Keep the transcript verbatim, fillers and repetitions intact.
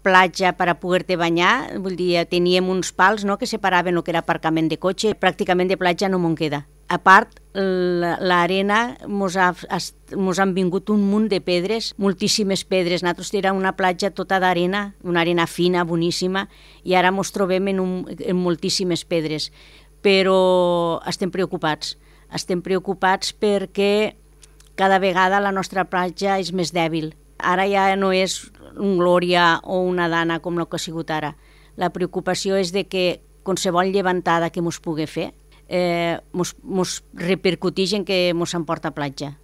platja per a poder-te banyar, vull dir, teníem uns pals, no?, que separaven el que era aparcament de cotxe, pràcticament de platja no me'n queda. A part, l'arena mos, ha, mos han vingut un munt de pedres, moltíssimes pedres. Nosaltres era una platja tota d'arena, una arena fina, boníssima, i ara mos trobem en, un, en moltíssimes pedres. Però estem preocupats. Estem preocupats perquè cada vegada la nostra platja és més dèbil. Ara ja no és un Glòria o una Dana com el que ha sigut ara. La preocupació és de que qualsevol llevantada que mos pugui fer eh, mos, mos repercuteix en que mos emporta a platja.